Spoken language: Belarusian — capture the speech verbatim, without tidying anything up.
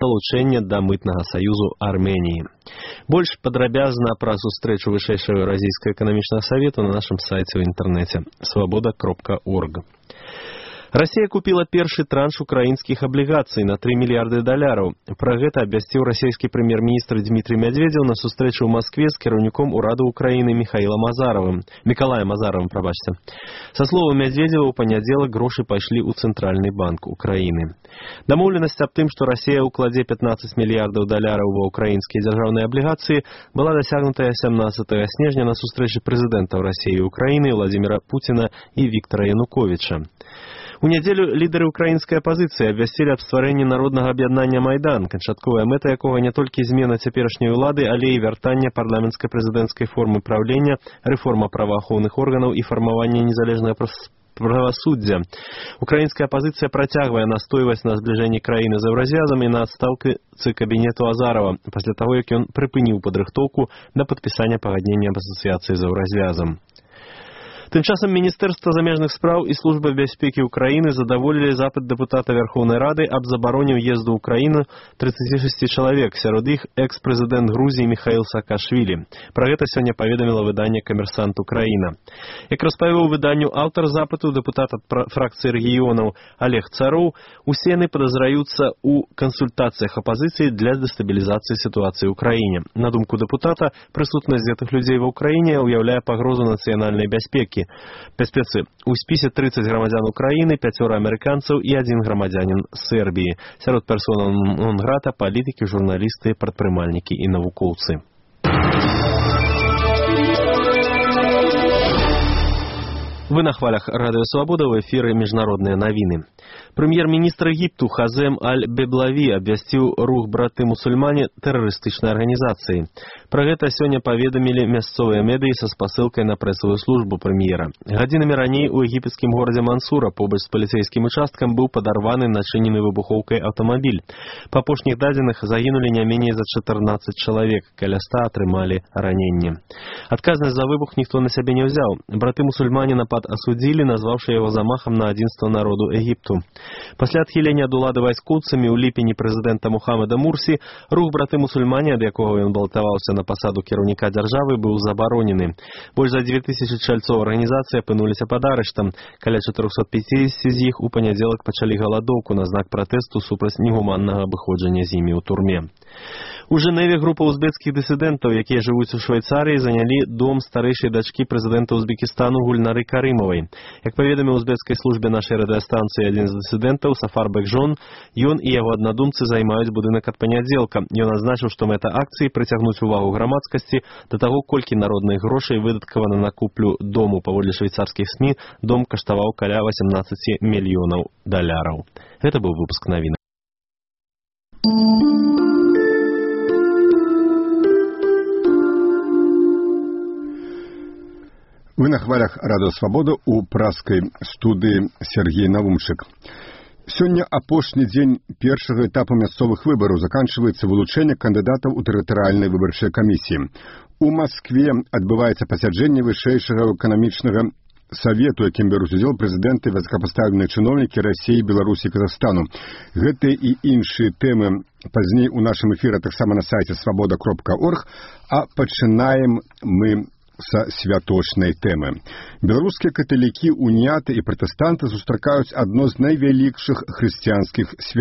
далучэння да мытнага саюзу Арменіі. Больш падрабязна пра сустрэчу вышэйшага Еўразійскага эканамічнага савету на нашым сайце ў інтэрнэце свабода кропка орг. Россия купила першы транш украінскіх аблігацый на три мільярды даляраў. Пра гэта абвясціў расійскі прэм'ер-міністр Дмітрий Медведев на сустрэчы ў Маскве з кіраўніком ураду Украіны Михаилом Азаровым. Миколаем Азаровым, прабачце. Са словаў Медведева, у панядзелак грошы пайшлі ў Цэнтральны банк Украіны. Дамоўленасць аб тым, што Расія ўкладзе пятнаццаць мільярдаў даляраў ва украінскія дзяржаўныя аблігацыі, была дасягнутая сямнаццатага снежня на сустрэчы прэзідэнтаў Расіі і Украіны Владимира Путина і Віктора Януковича. У нядзелю лідары украінскай апазіцыі абвясцілі аб стварэнні народнага аб'яднання «Майдан», канчатковая мэта якога не толькі змена цяперашняй улады, але і вяртанне парламенцкай прэзідэнцкай формы праўлення, рэформа праваахоўных органаў і фармаванне незалежнага правасуддзя. Украінская апазіцыя працягвае настойваць на збліжэнні краіны з еўразвязам і на адстаўцы кабінету Азарова, пасля таго, як ён прыпыніў падрыхтоўку да падпісання пагаднення аб асацыяцыі з еўразвязам. Тым часам Міністэрства замежных спраў і Служба бяспекі Украіны задаволілі запыт дэпутата Верховнай Рады аб забароне ўезду ў краіну тридцати шести чалавек, сярод іх экс-прэзідэнт Грузіі Михаил Саакашвілі. Пра гэта сёння паведаміла выданне «Камерсант Украіна». Як распавёў выданню аўтар запыту, дэпутат ад фракцыі рэгіёнаў Олег Цароў, усе яны падазраюцца ў кансультацыях апазіцыі для дэстабілізацыі сітуацыі ў краіне. На думку дэпутата, прысутнасць гэтых людзей ва ўкраіне ўяўляе пагрозу нацыянальнай бяспекі. Бяспецы. У спісе тридцать грамадзян Украіны, пяцёра амерыканцаў і адзін грамадзянін Сербіі. Сярод персонаў нон-грата палітыкі, журналісты, прадпрымальнікі і навукоўцы. Вы на хвалях Радио Свобода, в эфире международные новины. Премьер-министр Египту Хазем Аль-Беблави обвясціў рух браты-мусульмане тэрарыстычнай арганізацыі. Пра гэта сёння паведамілі мясцовыя медыі са спасылкай на прэсавую службу прэм'ера. Гадзінамі раней у егіпецкім горадзе Мансура побач з паліцэйскім участкам быў падарваны начынены выбухоўкай аўтамабіль. Па апошніх дадзеных загінулі не меней за чатырнаццаць чалавек, каля ста атрымалі раненне. Адказнасць за выбух ніхто на сябе не ўзяў. Браты-мусульмане напад асудзілі, назваўшы яго замахам на адзінства народу Егіпту. Пасля адхілення ад улады вайскоўцамі ў ліпені прэзідэнта Мухаммеда Мурсі рух браты-мусульмане, ад якога ён балатаваўся на пасаду кіраўніка дзяржавы, быў забаронены. Больш за дзве тысячы чальцоў арганізацыі апынуліся пад арыштам. Каля чатырохсот пяцідзесяці з іх у панядзелак пачалі галадоўку на знак пратэсту супраць негуманнага абыходжання з імі ў турме. У Жэневе група узбекскіх дысідэнтаў, якія жывуць у Швейцарыі, занялі дом старэйшай дачкі прэзідэнта Узбекістану Гульнары Карымавай. Як паведаміў узбекскай службе нашай радыёстанцыі адзін з дысідэнтаў Сафар Бекжон, ён і яго аднадумцы займаюць будынак ад панядзелка. Ён адзначыў, што мэта акцыі прыцягнуць увагу грамадскасці да таго, колькі народных грошай выдаткавана на куплю дому. Паводле швейцарскіх СМІ, дом каштаваў каля восемнадцаць мільёнаў даляраў. Гэта быў выпуск навін. Вы на хвалях Радио Свобода у праскай студыі Сергей Навумчык. Сёння апошні дзень першага этапу мясцовых выбараў, заканчваецца вылучэнне кандыдатаў у тэрытарыяльнай выбарчай камісіі. У Маскве адбываецца пасяджэнне вышэйшага эканамічнага савету, якім бяруць удзел прэзідэнты, высокапастаўленыя чыноўнікі Расіі, Беларусі і Казахстану. Гэтыя і іншыя тэмы пазней у нашым эфіры таксама на сайце свабода кропка орг, а пачынаем мы са святочнай тэмы. Беларускія каталікі, уніяты і пратэстанты сустракаюць адно з найвялікшых хрысціянскіх свят.